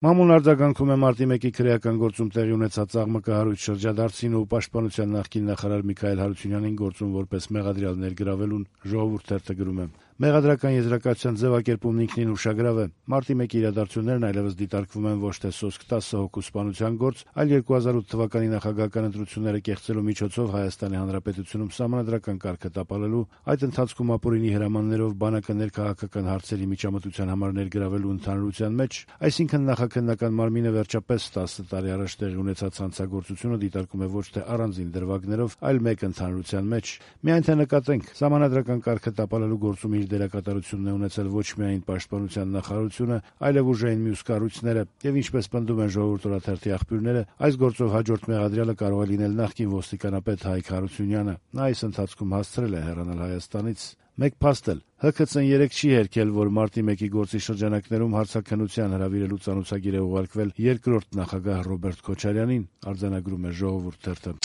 Մամուլն արձագանքում է մարտի 1-ի քրեական գործում տեղի ունեցած աղմկահարույց շրջադարձին ու պաշտպանության նախկին նախարար Միքայել Հարությունյանին գործում որպես մեղադրյալ ներգրավելուն «Ժողովուրդ» թերթը գրում է. «Մեղադրական եզրակացության ձևակերպումն ինքնին ուշագրավ է։ Մարտի 1-ի իրադարձություններն այլևս դիտարկվում են ոչ թե սոսկ 10 հոգու սպանության գործ, այլ 2008 թվականի նախագահական ընտրությունները կեղծելու միջոցով Հայաստանի Հանրապետությունում սահմանադրական կարգը տապալելու, այդ ընթացքում ապօրինի հրամաններով բանակը ներքաղաքական հարցերի միջամտության համար ներգրավելու ընդհանրության մեջ, այսինքն նախաքննական մարմինը վերջապես 10 տարի առաջ տեղի ունեցած հանցագործությունը դիտարկում է ոչ թե առանձին դրվագներով, այլ մեկ ընդհանրության մեջ։ Միայն թե նկատենք, սահմանադրական կարգը տապալելու գործում իր դերակատարությունն է ունեցել ոչ միայն պաշտպանության նախարարությունը, այլև ուժային մյուս կառույցները, եւ ինչպես պնդում են «Ժողովուրդ» օրաթերթի աղբյուրները, այս գործով հաջորդ մեղադրյալը կարող է լինել նախկին ոստիկանապետ Հայկ Հարությունյանը։ Նա այս ընթացքում հասցրել է հեռանալ Հայաստանից։ Մեկ փաստ էլ, ՀՔՑ-ն երեկ չի հերքել, որ մարտի 1-ի գործի շրջանակներում հարցաքննության հրավիրելու ծանուցագիր է ուղարկվել երկրորդ նախագահ Ռոբերտ Քոչարյանին, արձանագրում է «Ժողովուրդ» թերթը։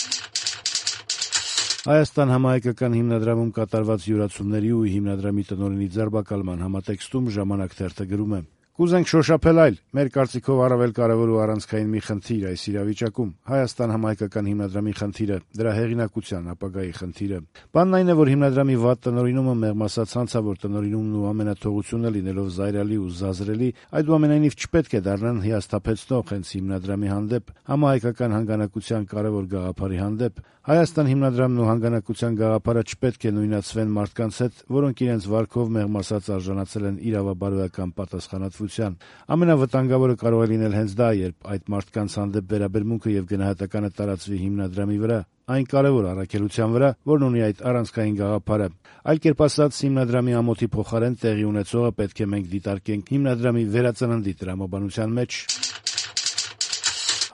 Հայաստան համահայկական հիմնադրամում կատարված յուրացումների ու հիմնադրամի տնօրենի ձերբակալման համատեքստում «Ժամանակ» թերթը գրում է. «Կուզենք շոշափել այլ, մեր կարծիքով առավել կարևոր ու առանցքային մի խնդիր այս իրավիճակում՝ Հայաստան համահայկական հիմնադրամի խնդիրը, դրա հեղինակության ապագայի խնդիրը։ Բանն այն է, որ հիմնադրամի վատ տնօրինումը մեղմ ասած հանցավոր տնօրինումն ու ամենաթողությունը լինելով զայրալի ու զազրելի, այդուամենայնիվ չպետք է դառնան հիասթափեցնող հենց հիմնադրամի հանդեպ, համահայկական հանգանակության կարևոր գաղափարի հանդեպ։ Հայաստան հիմնադրամն ու հանգանակության գաղափարը չպետք է նույնացվեն մարդկանց հետ, որոնք իրենց վարքով մեղմ ասած արժանացել են իրավաբարոյական պատասխանատվության։ Ամենավտանգավորը կարող է լինել հենց դա, երբ այդ մարդկանց հանդեպ վերաբերմունքը եւ գնահատականը տարածվի հիմնադրամի վրա, այն կարևոր առաքելության վրա, որն ունի այդ առանցքային գաղափարը։ Այլ կերպ ասած, հիմնադրամի ամոթի փոխարեն տեղի ունեցողը պետք է մենք դիտարկենք հիմնադրամի վերածննդի տրամաբանության մեջ»։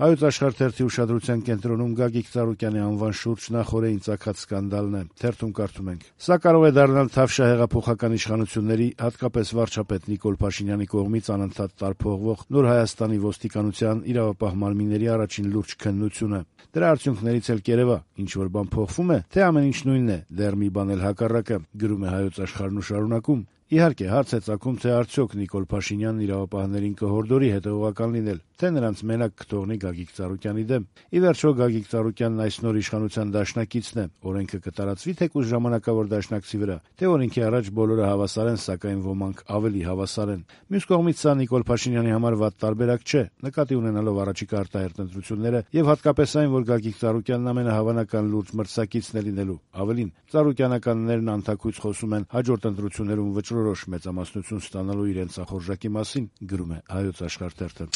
Հայոց Աշխարհ թերթի ուշադրության կենտրոնում Գագիկ Ծառուկյանի անվան շուրջ նախօրեին ծագած սկանդալն է։ Թերթում կարդում ենք. «Սա կարող է դառնալ Թավշյա հեղափոխական իշխանությունների, հատկապես վարչապետ Նիկոլ Փաշինյանի կողմից անընդհատ տարփողվող Նոր Հայաստանի ոստիկանության իրավապահ մարմինների առաջին լուրջ քննությունը։ Դրա արդյունքներից էլ կերևա, ինչ-որ բան փոխվում է, թե ամեն ինչ նույնն է, դեռ մի բան էլ հակառակը», գրում է Հայոց Աշխարհն ու շարունակում. «Իհարկե, հարց է ծագում, թե արդյոք Նիկոլ Փաշինյանն իրավապահներին կհորդորի հետևողական լինել, թե նրանց մենակ կթողնի Գագիկ Ծառուկյանի դեմ։ Ի վերջո, Գագիկ Ծառուկյանն այս նոր իշխանության դաշնակիցն է, օրենքը կտարածվի թեկուզ ժամանակավոր դաշնակցի վրա, թե օրենքի առաջ բոլորը հավասար են, սակայն ոմանք ավելի հավասար են։ Մյուս կողմից սա Նիկոլ Փաշինյանի համար վատ տարբերակ չէ, նկատի ունենալով առաջիկա արտահերթ ընտրությունները եւ հատկապես այն, որ Գագիկ Ծառուկյանն ամենահավանական լուրջ մրցակիցն է լինելու։ Ավելին, ծառուկյանականներն անթաքույց խոսում են հաջորդ ընտրություններում վճռորոշ մեծամասնություն ստանալու իրենց ախորժակի մասին», գրում է Հայոց Աշխարհ թերթը։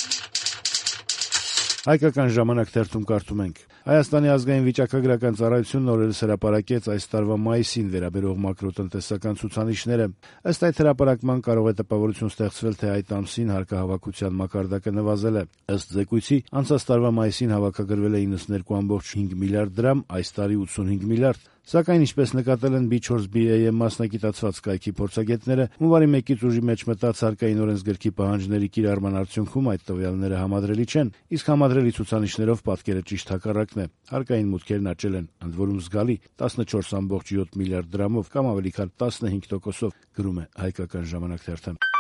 Հայկական ժամանակ թերթում կարդում ենք. «Հայաստանի ազգային վիճակագրական ծառայությունն օրերս հրապարակեց այս տարվա մայիսին վերաբերող մակրոտնտեսական ցուցանիշները։ Ըստ այդ հրապարակման կարող է տպավորություն ստեղծվել, թե այդ ամսին հարկահավաքության մակարդակը նվազել է։ Ըստ զեկույցի, անցած տարվա մայիսին հավաքագրվել է 92.5 միլիարդ դրամ, այս տարի 85 միլիարդ։ Սակայն, ինչպես նկատել են B4BAM մասնագիտացված կայքի փորձագետները, հունվարի 1-ից ուժի մեջ մտած հարկային օրենսգրքի պահանջների կիրառման արդյունքում այդ տվյալները համադրելի չեն, իսկ համադրելի ցուցանիշներով պատկերը ճիշտ հակառակն է։ Հարկային մուտքերն աճել են, ընդ որում զգալի 14.7 միլիարդ դրամով կամ ավելի քան 15%-ով, գրում է Հայկական ժամանակ թերթը։